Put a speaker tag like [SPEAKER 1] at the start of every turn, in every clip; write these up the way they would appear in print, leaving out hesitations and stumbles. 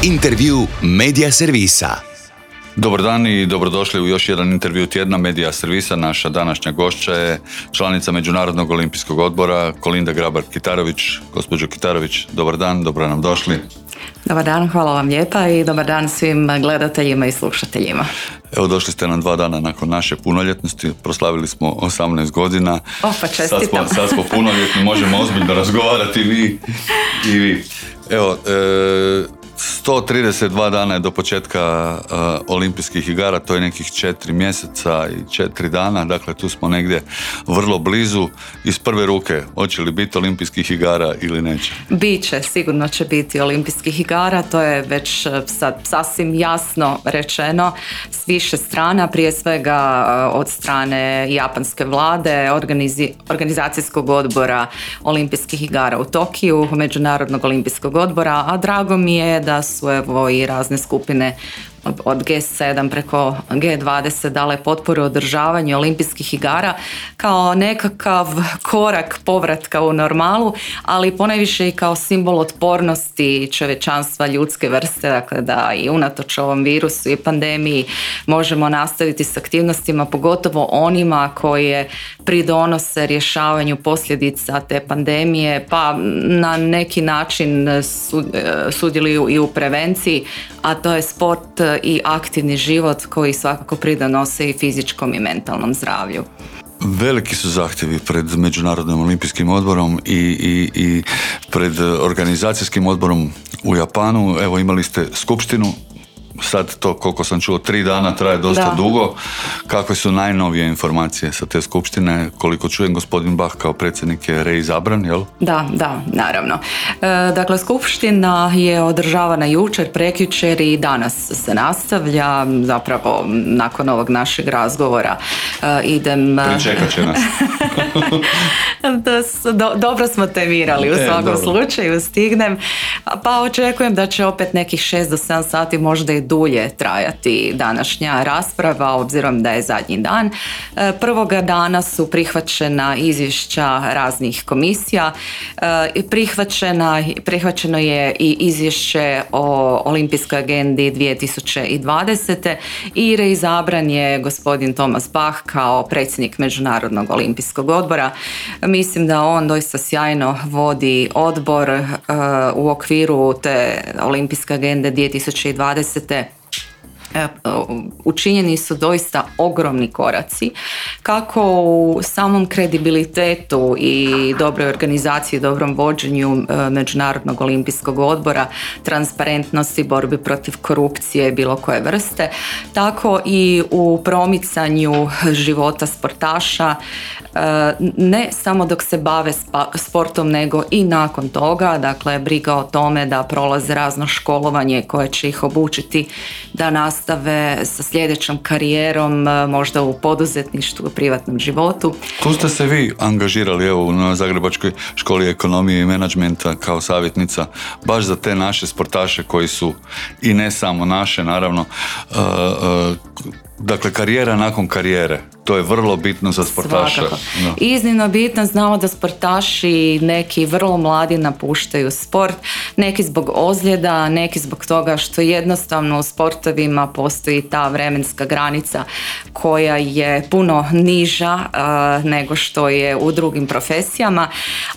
[SPEAKER 1] Intervju Medija servisa.
[SPEAKER 2] Dobar dan i dobrodošli u još jedan intervju tjedna Medija servisa. Naša današnja gošća je članica Međunarodnog olimpijskog odbora Kolinda Grabar-Kitarović. Gospođo Kitarović, dobar dan, dobro nam došli.
[SPEAKER 3] Dobar dan, hvala vam lijepa i dobar dan svim gledateljima i slušateljima.
[SPEAKER 2] Evo, došli ste nam 2 dana nakon naše punoljetnosti, proslavili smo 18 godina.
[SPEAKER 3] Pa čestitam.
[SPEAKER 2] Sad smo punoljetni, možemo ozbiljno razgovarati i vi. Evo, 132 dana je do početka olimpijskih igara, to je nekih 4 mjeseca i 4 dana, dakle tu smo negdje vrlo blizu. Iz prve ruke, hoće li biti olimpijskih igara ili neće?
[SPEAKER 3] Biće, sigurno će biti olimpijskih igara, to je već sad sasvim jasno rečeno s više strana, prije svega od strane japanske vlade, organizacijskog odbora olimpijskih igara u Tokiju, Međunarodnog olimpijskog odbora, a drago mi je da su evo i razne skupine od G7 preko G20 dale potporu održavanju olimpijskih igara kao nekakav korak povratka u normalu, ali ponajviše i kao simbol otpornosti čovječanstva ljudske vrste, dakle da i unatoč ovom virusu i pandemiji možemo nastaviti s aktivnostima, pogotovo onima koje pridonose rješavanju posljedica te pandemije, pa na neki način sudjeluju i u prevenciji, a to je sport i aktivni život koji svakako pridonose i fizičkom i mentalnom zdravlju.
[SPEAKER 2] Veliki su zahtjevi pred Međunarodnim olimpijskim odborom i pred organizacijskim odborom u Japanu. Evo, imali ste skupštinu, sad to, koliko sam čuo, 3 dana traje dosta dugo. Kakve su najnovije informacije sa te skupštine? Koliko čujem, gospodin Bach kao predsjednik je reizabran, jel?
[SPEAKER 3] Da, naravno. Dakle, skupština je održavana jučer, prekjučer i danas se nastavlja. Zapravo, nakon ovog našeg razgovora idem...
[SPEAKER 2] Pričekat će nas.
[SPEAKER 3] Dobro smo temirali, u svakom slučaju stignem. Pa očekujem da će opet nekih 6 do 7 sati, možda i dulje trajati današnja rasprava, obzirom da je zadnji dan. Prvoga dana su prihvaćena izvješća raznih komisija. Prihvaćeno je i izvješće o olimpijskoj agendi 2020. i reizabran je gospodin Thomas Bach kao predsjednik Međunarodnog olimpijskog odbora. Mislim da on doista sjajno vodi odbor u okviru te olimpijske agende 2020. Učinjeni su doista ogromni koraci kako u samom kredibilitetu i dobroj organizaciji, dobrom vođenju Međunarodnog olimpijskog odbora, transparentnosti, borbi protiv korupcije bilo koje vrste, tako i u promicanju života sportaša, ne samo dok se bave sportom, nego i nakon toga. Dakle, briga o tome da prolaze razno školovanje koje će ih obučiti da nastave sa sljedećom karijerom, možda u poduzetništvu, u privatnom životu.
[SPEAKER 2] Tu ste se vi angažirali, evo, na Zagrebačkoj školi ekonomije i menadžmenta kao savjetnica, baš za te naše sportaše koji su, i ne samo naše, naravno, dakle, karijera nakon karijere. To je vrlo bitno za sportaša.
[SPEAKER 3] No. Iznimno bitno. Znamo da sportaši neki vrlo mladi napuštaju sport, neki zbog ozljeda, neki zbog toga što jednostavno u sportovima postoji ta vremenska granica koja je puno niža nego što je u drugim profesijama,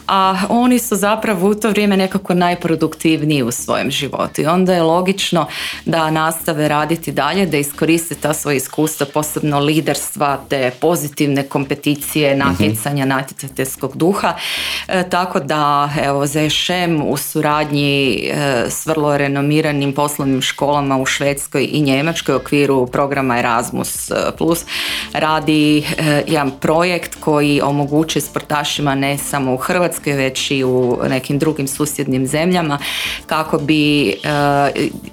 [SPEAKER 3] a oni su zapravo u to vrijeme nekako najproduktivniji u svojem životu i onda je logično da nastave raditi dalje, da iskoriste ta svoja iskustva, posebno liderstva, te pozitivne kompeticije, natjecanja, natjecateljskog duha. Tako da, evo, ZŠM u suradnji s vrlo renomiranim poslovnim školama u Švedskoj i Njemačkoj u okviru programa Erasmus Plus radi jedan projekt koji omogućuje sportašima ne samo u Hrvatskoj, već i u nekim drugim susjednim zemljama, kako bi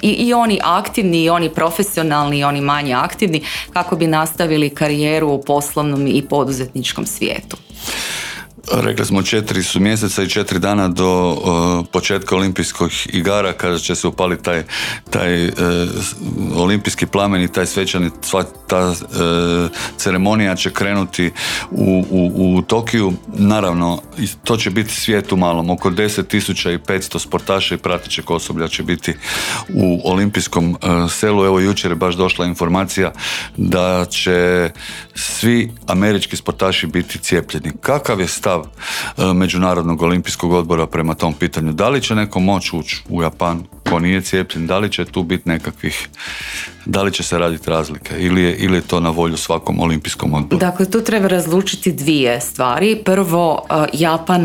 [SPEAKER 3] i oni aktivni, i oni profesionalni, i oni manje aktivni, kako bi nastavili karijeru u poslovnom i poduzetničkom svijetu.
[SPEAKER 2] Rekli smo 4 su mjeseca i 4 dana do početka olimpijskih igara kada će se upaliti taj olimpijski plamen i taj svečani, ta ceremonija će krenuti u Tokiju. Naravno, to će biti svijet u malom. Oko 10.500 sportaša i pratećeg osoblja će biti u olimpijskom selu. Evo, jučer je baš došla informacija da će svi američki sportaši biti cijepljeni. Kakav je stav Međunarodnog olimpijskog odbora prema tom pitanju? Da li će neko moći ući u Japan ko nije cijepljen? Da li će tu biti nekakvih, da li će se raditi razlike ili je to na volju svakom olimpijskom odboru?
[SPEAKER 3] Dakle, tu treba razlučiti dvije stvari. Prvo,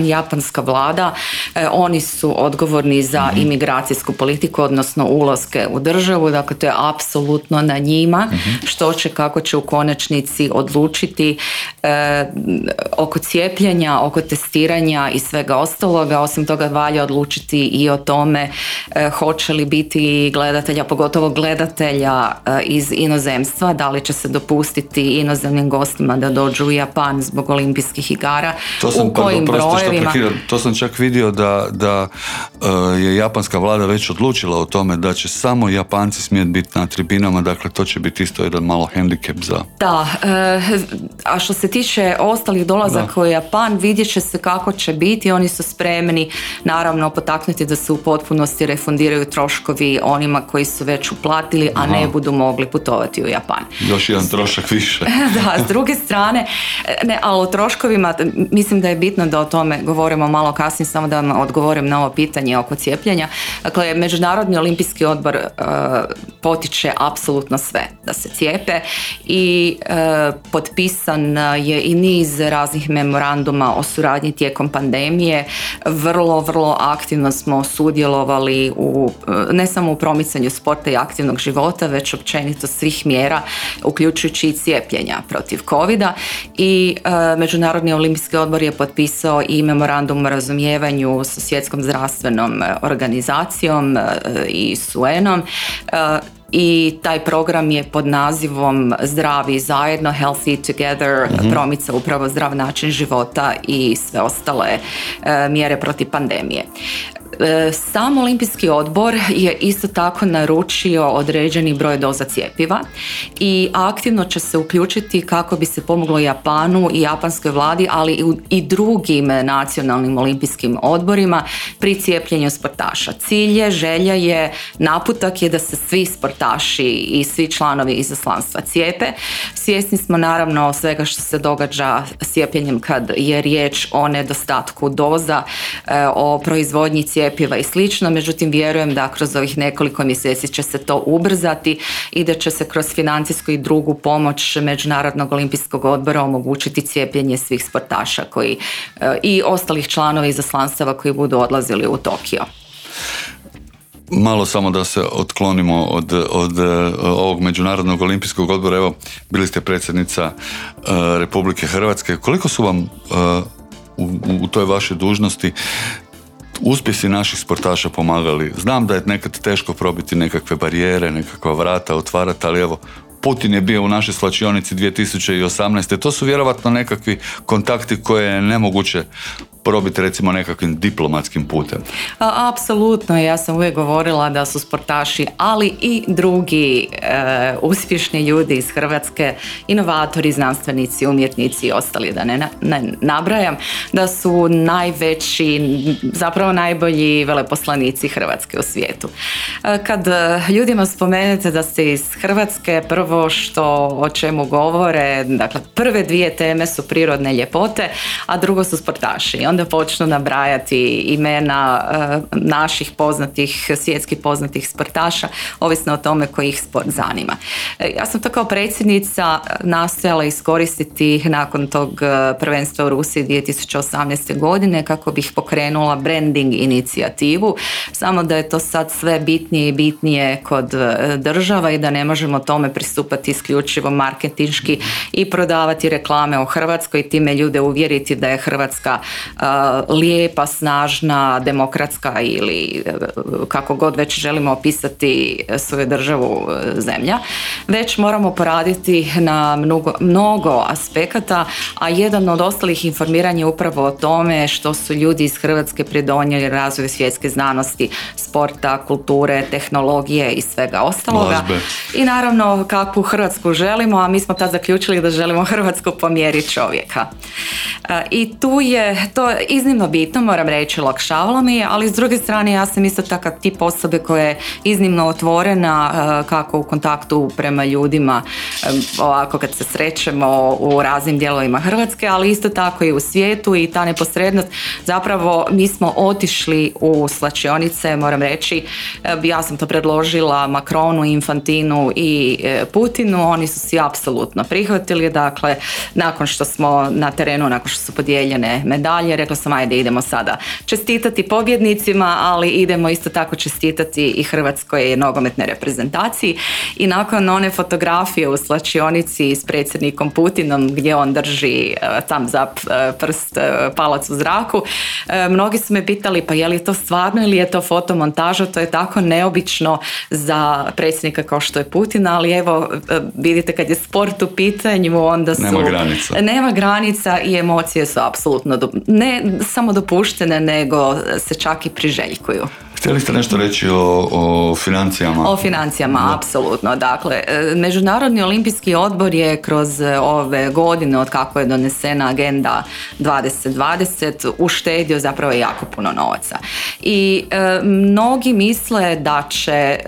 [SPEAKER 3] japanska vlada, oni su odgovorni za imigracijsku politiku, odnosno ulaske u državu, dakle to je apsolutno na njima što će, kako će u konačnici odlučiti oko cijepljenja, oko testiranja i svega ostaloga. Osim toga valja odlučiti i o tome hoće li biti gledatelja, pogotovo gledatelja iz inozemstva, da li će se dopustiti inozemnim gostima da dođu u Japan zbog olimpijskih igara, u kojim brojevima.
[SPEAKER 2] To sam čak vidio da je japanska vlada već odlučila o tome da će samo Japanci smjeti biti na tribinama, dakle to će biti isto jedan malo hendikep za...
[SPEAKER 3] Da, a što se tiče ostalih dolazaka u Japan, vidjet će se kako će biti. Oni su spremni naravno potaknuti da se u potpunosti refundiraju troškovi onima koji su već uplatili, a ne budu mogli putovati u Japan.
[SPEAKER 2] Još jedan trošak više.
[SPEAKER 3] Da, s druge strane, ali o troškovima mislim da je bitno da o tome govorimo malo kasnije, samo da vam odgovorim na ovo pitanje oko cijepljenja. Dakle, Međunarodni olimpijski odbor potiče apsolutno sve da se cijepe i potpisan je i niz raznih memoranduma o suradnji tijekom pandemije. Vrlo aktivno smo sudjelovali ne samo u promicanju sporta i aktivnog života, već općenito svih mjera, uključujući i cijepljenja protiv covida. I Međunarodni olimpijski odbor je potpisao i memorandum o razumijevanju sa Svjetskom zdravstvenom organizacijom i s UN-om. I taj program je pod nazivom Zdravi zajedno, Healthy Together, promica upravo zdrav način života i sve ostale mjere protiv pandemije. Sam olimpijski odbor je isto tako naručio određeni broj doza cjepiva i aktivno će se uključiti kako bi se pomoglo Japanu i japanskoj vladi, ali i drugim nacionalnim olimpijskim odborima pri cijepljenju sportaša. Cilj je, želja je, naputak je da se svi sportaši i svi članovi izaslanstva cijepe. Svjesni smo naravno svega što se događa s cijepljenjem kad je riječ o nedostatku doza, o proizvodnji cjepiva i slično, međutim vjerujem da kroz ovih nekoliko mjeseci će se to ubrzati i da će se kroz financijsku i drugu pomoć Međunarodnog olimpijskog odbora omogućiti cijepljenje svih sportaša koji i ostalih članova izaslanstava koji budu odlazili u Tokio.
[SPEAKER 2] Malo samo da se otklonimo od ovog Međunarodnog olimpijskog odbora. Evo, bili ste predsjednica Republike Hrvatske. Koliko su vam u toj vašoj dužnosti uspjesi naših sportaša pomagali? Znam da je nekad teško probiti nekakve barijere, nekakva vrata otvarati, ali evo, Putin je bio u našoj svlačionici 2018. To su vjerovatno nekakvi kontakti koje je nemoguće probiti recimo nekakvim diplomatskim putem.
[SPEAKER 3] Apsolutno, ja sam uvijek govorila da su sportaši, ali i drugi uspješni ljudi iz Hrvatske, inovatori, znanstvenici, umjetnici i ostali, da ne nabrajam, da su najveći, zapravo najbolji veleposlanici Hrvatske u svijetu. Kad ljudima spomenete da ste iz Hrvatske, prvo o čemu govore, dakle prve dvije teme su prirodne ljepote, a drugo su sportaši. Onda počnu nabrajati imena naših poznatih, svjetski poznatih sportaša, ovisno o tome koji ih sport zanima. Ja sam to kao predsjednica nastojala iskoristiti nakon tog prvenstva u Rusiji 2018. godine kako bih pokrenula branding inicijativu, samo da je to sad sve bitnije i bitnije kod država i da ne možemo tome pristupati isključivo marketinški i prodavati reklame o Hrvatskoj i time ljude uvjeriti da je Hrvatska lijepa, snažna, demokratska ili kako god već želimo opisati svoju državu, zemlja, već moramo poraditi na mnogo aspekata, a jedan od ostalih informiranja je upravo o tome što su ljudi iz Hrvatske pridonijeli razvoju svjetske znanosti, sporta, kulture, tehnologije i svega ostaloga.
[SPEAKER 2] Glazbe.
[SPEAKER 3] I naravno kakvu Hrvatsku želimo, a mi smo tad zaključili da želimo Hrvatsku po mjeri čovjeka. I tu je to iznimno bitno, moram reći, olakšavalo mi je, ali s druge strane ja sam isto takav tip osobe koja je iznimno otvorena kako u kontaktu prema ljudima, ovako kad se srećemo u raznim dijelovima Hrvatske, ali isto tako i u svijetu, i ta neposrednost. Zapravo mi smo otišli u slačionice, moram reći, ja sam to predložila Macronu, Infantinu i Putinu, oni su si apsolutno prihvatili, dakle nakon što smo na terenu, nakon što su podijeljene medalje, rekla sam ajde idemo sada čestitati pobjednicima, ali idemo isto tako čestitati i Hrvatskoj nogometnoj reprezentaciji. I nakon one fotografije u slačionici s predsjednikom Putinom gdje on drži tam za prst palac u zraku, mnogi su me pitali pa je li to stvarno ili je to fotomontaža, to je tako neobično za predsjednika kao što je Putin, ali evo vidite kad je sport u pitanju onda su... Nema granica i emocije su apsolutno ne samo dopuštene, nego se čak i priželjkuju.
[SPEAKER 2] Htjeli ste nešto reći o financijama? O
[SPEAKER 3] financijama, apsolutno. Dakle, Međunarodni olimpijski odbor je kroz ove godine, od kako je donesena agenda 2020, uštedio zapravo jako puno novaca. I mnogi misle da će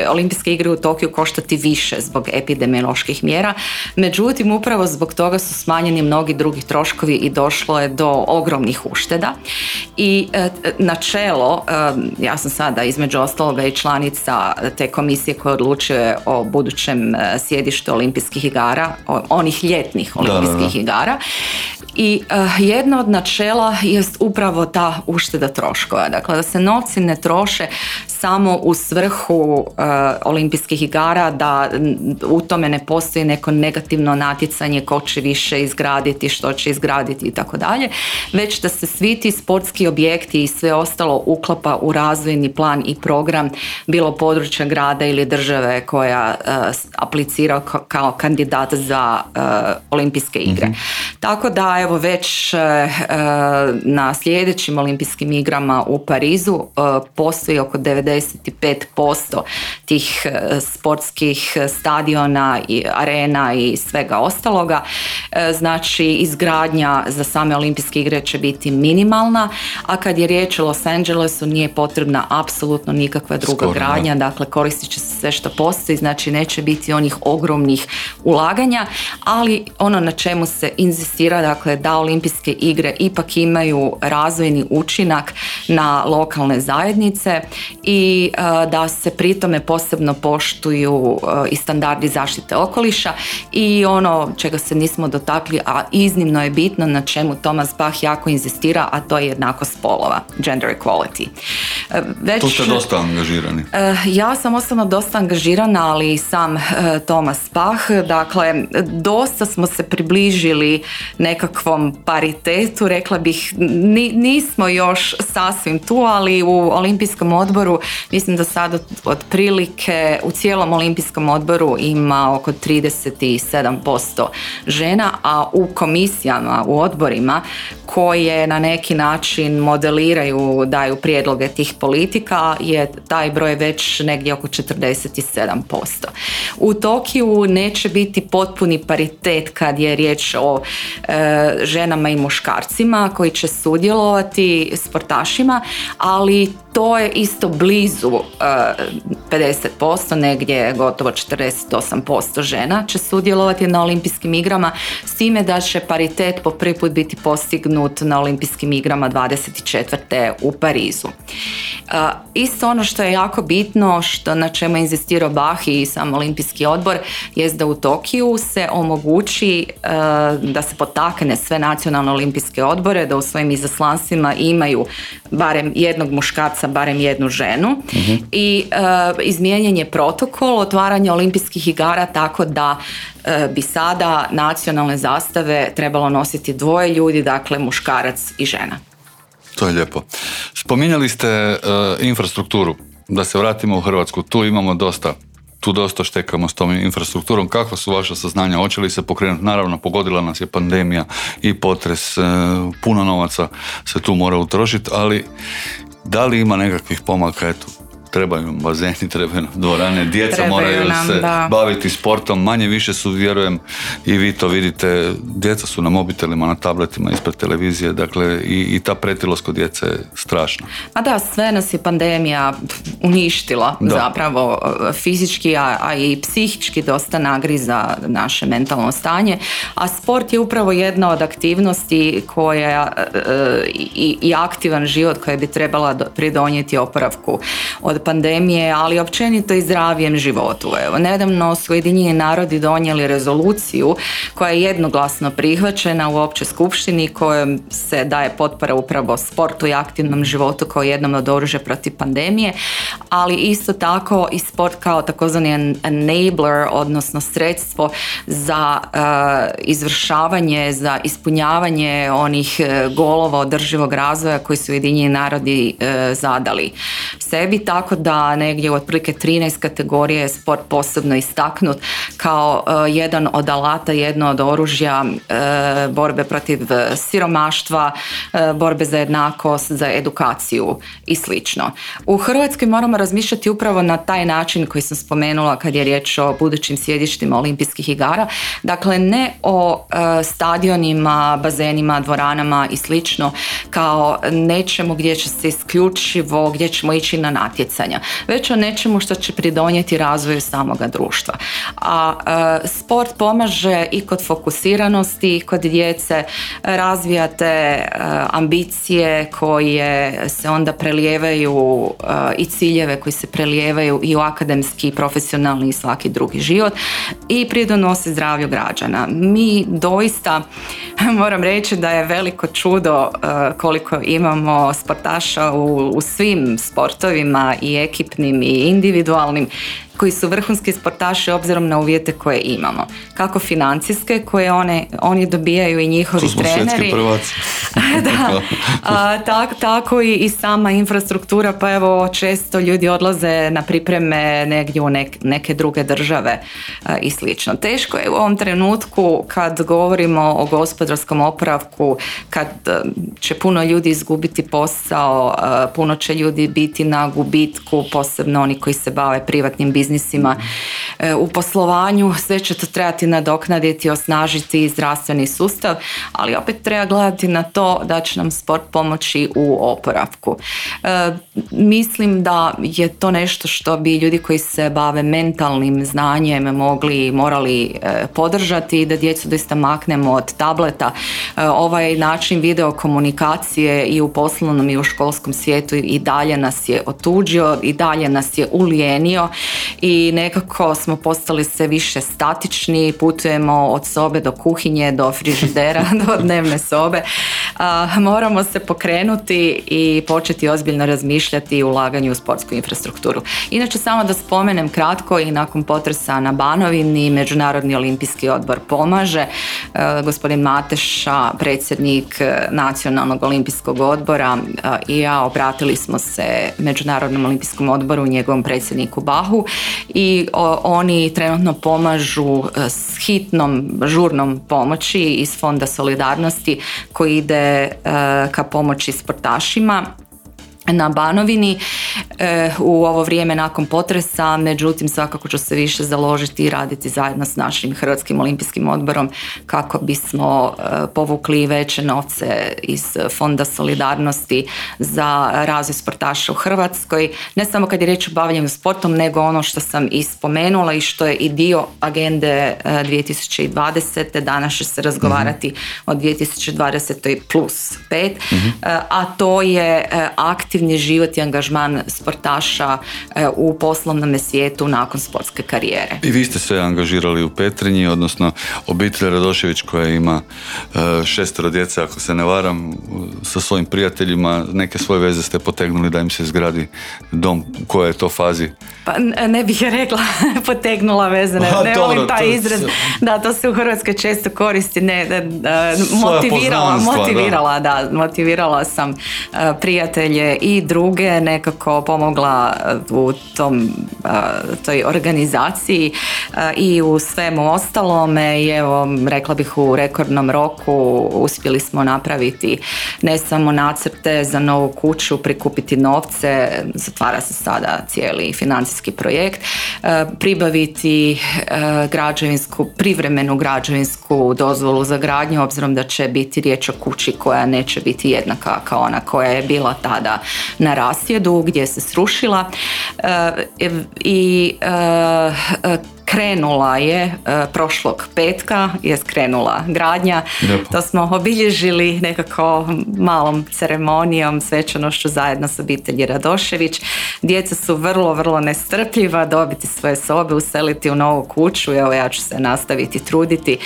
[SPEAKER 3] olimpijske igre u Tokiju koštati više zbog epidemioloških mjera, međutim upravo zbog toga su smanjeni mnogi drugi troškovi i došlo je do ogromnih ušteda. I načelo, ja sam sada između ostaloga i članica te komisije koja odlučuje o budućem sjedištu olimpijskih igara, onih ljetnih olimpijskih igara. I jedno od načela jest upravo ta ušteda troškova. Dakle, da se novci ne troše samo u svrhu olimpijskih igara, da u tome ne postoji neko negativno natjecanje ko će više izgraditi, što će izgraditi i tako dalje, već da se svi ti sportski objekti i sve ostalo uklapa u razvojni plan i program, bilo područja grada ili države koja aplicira kao kandidat za olimpijske igre. Tako da evo već na sljedećim olimpijskim igrama u Parizu postoji oko 95% tih sportskih stadiona i arena i svega ostaloga. Znači izgradnja za same olimpijske igre će biti minimalna, a kad je riječ o Los Angelesu nije potrebna apsolutno nikakva druga gradnja, dakle koristit će se sve što postoji, znači neće biti onih ogromnih ulaganja, ali ono na čemu se inzistira, dakle da olimpijske igre ipak imaju razvojni učinak na lokalne zajednice i da se pritome posebno poštuju i standardi zaštite okoliša i ono čega se nismo dotakli, a iznimno je bitno, na čemu Thomas Bach jako inzistira, a to je jednakost spolova, gender equality.
[SPEAKER 2] Tu ste dosta angažirani.
[SPEAKER 3] Ja sam osobno dosta angažirana, ali i sam Thomas Bach, dakle dosta smo se približili nekakvom paritetu, rekla bih, nismo još sasvim tu, ali u Olimpijskom odboru mislim da sad otprilike u cijelom Olimpijskom odboru ima oko 37% žena, a u komisijama, u odborima koje na neki način modeliraju, daju prijedloge tih politika, je taj broj već negdje oko 47%. U Tokiju neće biti potpuni paritet kad je riječ o ženama i muškarcima koji će sudjelovati, sportašima, ali to je isto blizu 50%, negdje gotovo 48% žena će sudjelovati na olimpijskim igrama, s time da će paritet po prvi put biti postignut na olimpijskim igrama 24. u Parizu. Isto ono što je jako bitno, na čemu je inzistirao Bach i sam olimpijski odbor, jest da u Tokiju se omogući da se potakne sve nacionalne olimpijske odbore da u svojim izaslanstvima imaju barem jednog muškarca, barem jednu ženu. I izmijenjen je protokol otvaranja olimpijskih igara tako da bi sada nacionalne zastave trebalo nositi dvoje ljudi, dakle muškarac i žena.
[SPEAKER 2] To je lijepo. Spominjali ste infrastrukturu. Da se vratimo u Hrvatsku. Tu dosta štekamo s tom infrastrukturom. Kakva su vaša saznanja? Hoće li se pokrenuti? Naravno, pogodila nas je pandemija i potres, puno novaca se tu mora utrošiti, ali da li ima nekakvih pomaka? Eto, trebaju nam bazeni, trebaju nam dvorane, djeca moraju se baviti sportom, manje više su, vjerujem, i vi to vidite, djeca su na mobitelima, na tabletima, ispred televizije, dakle i ta pretilost kod djece je strašna.
[SPEAKER 3] A da, sve nas je pandemija uništila, zapravo fizički, a i psihički dosta nagriza naše mentalno stanje, a sport je upravo jedna od aktivnosti koja i aktivan život koja bi trebala pridonijeti oporavku od pandemije, ali općenito i zdravijem životu. Evo, nedavno su Ujedinjeni narodi donijeli rezoluciju koja je jednoglasno prihvaćena u općoj skupštini kojom se daje potpora upravo sportu i aktivnom životu kao jednom od oružja protiv pandemije, ali isto tako i sport kao takozvani enabler, odnosno sredstvo za izvršavanje, za ispunjavanje onih golova održivog razvoja koji su Ujedinjeni narodi zadali sebi, tako da negdje u otprilike 13 kategorije je sport posebno istaknut kao jedan od alata, jedno od oružja borbe protiv siromaštva, borbe za jednakost, za edukaciju i slično. U Hrvatskoj moramo razmišljati upravo na taj način koji sam spomenula kad je riječ o budućim sjedištima olimpijskih igara. Dakle, ne o stadionima, bazenima, dvoranama i slično kao nečemu gdje će se isključivo, gdje ćemo ići na natjecanja, već o nečemu što će pridonijeti razvoju samoga društva. A sport pomaže i kod fokusiranosti, i kod djece, razvijate ambicije koje se onda prelijevaju i ciljeve koji se prelijevaju i u akademski, i profesionalni i svaki drugi život i pridonose zdravlju građana. Mi doista, moram reći da je veliko čudo koliko imamo sportaša u svim sportovima i ekipnim i individualnim koji su vrhunski sportaši obzirom na uvjete koje imamo. Kako financijske koje oni dobijaju i njihovi treneri. Tu smo svjetski prvaci. Tako i sama infrastruktura, pa evo često ljudi odlaze na pripreme negdje u neke druge države i slično. Teško je u ovom trenutku kad govorimo o gospodarskom oporavku, kad će puno ljudi izgubiti posao, puno će ljudi biti na gubitku, posebno oni koji se bave privatnim biznisima u poslovanju, sve će to trebati nadoknaditi, osnažiti zdravstveni sustav, ali opet treba gledati na to da će nam sport pomoći u oporavku. Mislim da je to nešto što bi ljudi koji se bave mentalnim znanjem morali podržati i da djecu doista maknemo od tableta. Ovaj način video komunikacije i u poslovnom i u školskom svijetu i dalje nas je otuđio, i dalje nas je ulijenio i nekako smo postali sve više statični, putujemo od sobe do kuhinje, do frižidera, do dnevne sobe. Moramo se pokrenuti i početi ozbiljno razmišljati o ulaganju u sportsku infrastrukturu. Inače, samo da spomenem kratko, i nakon potresa na Banovini Međunarodni olimpijski odbor pomaže. Gospodin Mateša, predsjednik Nacionalnog olimpijskog odbora, i ja obratili smo se Međunarodnom olimpijskom odboru, njegovom predsjedniku Bahu, i oni trenutno pomažu s hitnom, žurnom pomoći iz Fonda solidarnosti koji ide ka pomoći sportašima na Banovini u ovo vrijeme nakon potresa. Međutim, svakako ću se više založiti i raditi zajedno s našim Hrvatskim olimpijskim odborom kako bismo povukli veće novce iz Fonda solidarnosti za razvoj sportaša u Hrvatskoj. Ne samo kad je riječ o bavljenju sportom, nego ono što sam i spomenula i što je i dio agende 2020. Danas će se razgovarati o 2020. plus 5, a to je aktivno aktivni život i angažman sportaša u poslovnom svijetu nakon sportske karijere.
[SPEAKER 2] I vi ste se angažirali u Petrinji, odnosno obitelj Radošević koja ima 6 djece, ako se ne varam, sa svojim prijateljima, neke svoje veze ste potegnuli da im se izgradi dom. U kojoj je to fazi?
[SPEAKER 3] Pa ne bih rekla potegnula veze, ne volim taj izraz. Da, to se u Hrvatskoj često koristi. Motivirala sam prijatelje i druge, nekako pomogla u toj organizaciji i u svemu ostalome i evo, rekla bih u rekordnom roku uspjeli smo napraviti ne samo nacrte za novu kuću, prikupiti novce, zatvara se sada cijeli financijski projekt, pribaviti privremenu građevinsku dozvolu za gradnju, obzirom da će biti riječ o kući koja neće biti jednaka kao ona koja je bila tada na rasjedu gdje se srušila i krenula je prošlog petka, je skrenula gradnja. Lijepo. To smo obilježili nekako malom ceremonijom, svečanošću zajedno s obitelji Radošević. Djeca su vrlo, vrlo nestrpljiva dobiti svoje sobe, useliti u novu kuću. Evo, ja ću se nastaviti truditi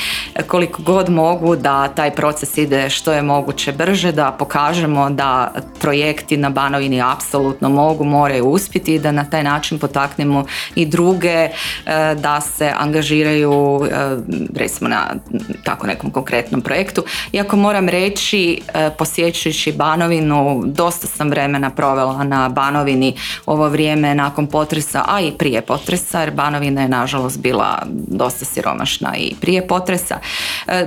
[SPEAKER 3] koliko god mogu da taj proces ide što je moguće brže, da pokažemo da projekti na Banovini apsolutno moraju uspjeti i da na taj način potaknemo i druge da se angažiraju recimo na tako nekom konkretnom projektu. Iako moram reći, posjećujući Banovinu, dosta sam vremena provela na Banovini ovo vrijeme nakon potresa, a i prije potresa, jer Banovina je nažalost bila dosta siromašna i prije potresa.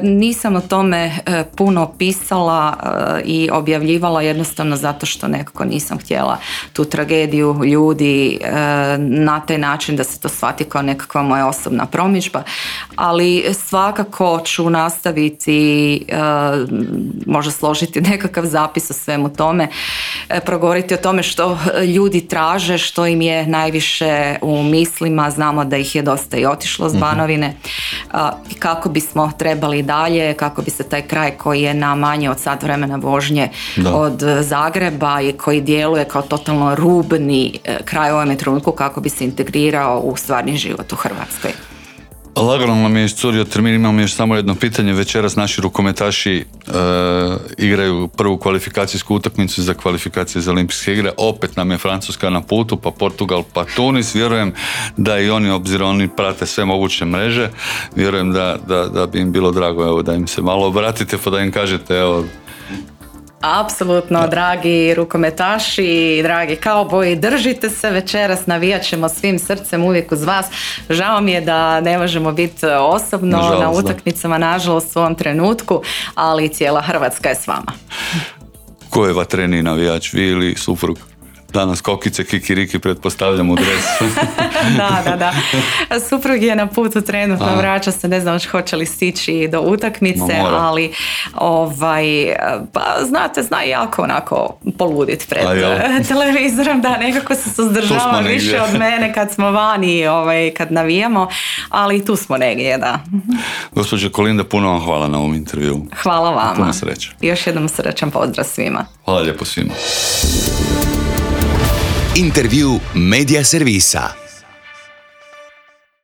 [SPEAKER 3] Nisam o tome puno pisala i objavljivala jednostavno zato što nekako nisam htjela tu tragediju ljudi na taj način da se to shvati kao nekakva moja osobna promidžba, ali svakako ću nastaviti možda složiti nekakav zapis o svemu tome, progovoriti o tome što ljudi traže, što im je najviše u mislima. Znamo da ih je dosta i otišlo s Banovine, kako bismo trebali dalje, kako bi se taj kraj koji je na manje od sat vremena vožnje od Zagreba i koji djeluje kao totalno rubni kraj u ovom trenutku, kako bi se integrirao u stvarni život u Hrvatskoj.
[SPEAKER 2] Lagano nam je iscurio termin, imamo još samo jedno pitanje. Večeras naši rukometaši igraju prvu kvalifikacijsku utakmicu za kvalifikacije za olimpijske igre. Opet nam je Francuska na putu, pa Portugal, pa Tunis. Vjerujem da i oni, obzirom oni prate sve moguće mreže, vjerujem da bi im bilo drago, evo, da im se malo obratite pa da im kažete, evo.
[SPEAKER 3] Apsolutno, dragi rukometaši, dragi kauboji, držite se večeras, navijat ćemo svim srcem uvijek uz vas. Žao mi je da ne možemo biti osobno na utakmicama, nažalost u ovom trenutku, ali cijela Hrvatska je s vama.
[SPEAKER 2] Ko je vatreniji navijač, vi ili suprug? Danas kokice, kikiriki, pretpostavljam u dresu.
[SPEAKER 3] Da. Suprug je na putu trenutno, vraća se, ne znam hoće li stići do utakmice, ali pa znate, zna jako onako poludit pred televizorom, da nekako se suzdržava više od mene kad smo vani, kad navijamo, ali tu smo negdje, da.
[SPEAKER 2] Gospođo Kolinda, puno vam hvala na ovom intervjuu.
[SPEAKER 3] Hvala vama.
[SPEAKER 2] Puno sreće.
[SPEAKER 3] Još jednom srećan pozdrav svima.
[SPEAKER 2] Hvala lijepo svima.
[SPEAKER 1] Intervju Media Servisa.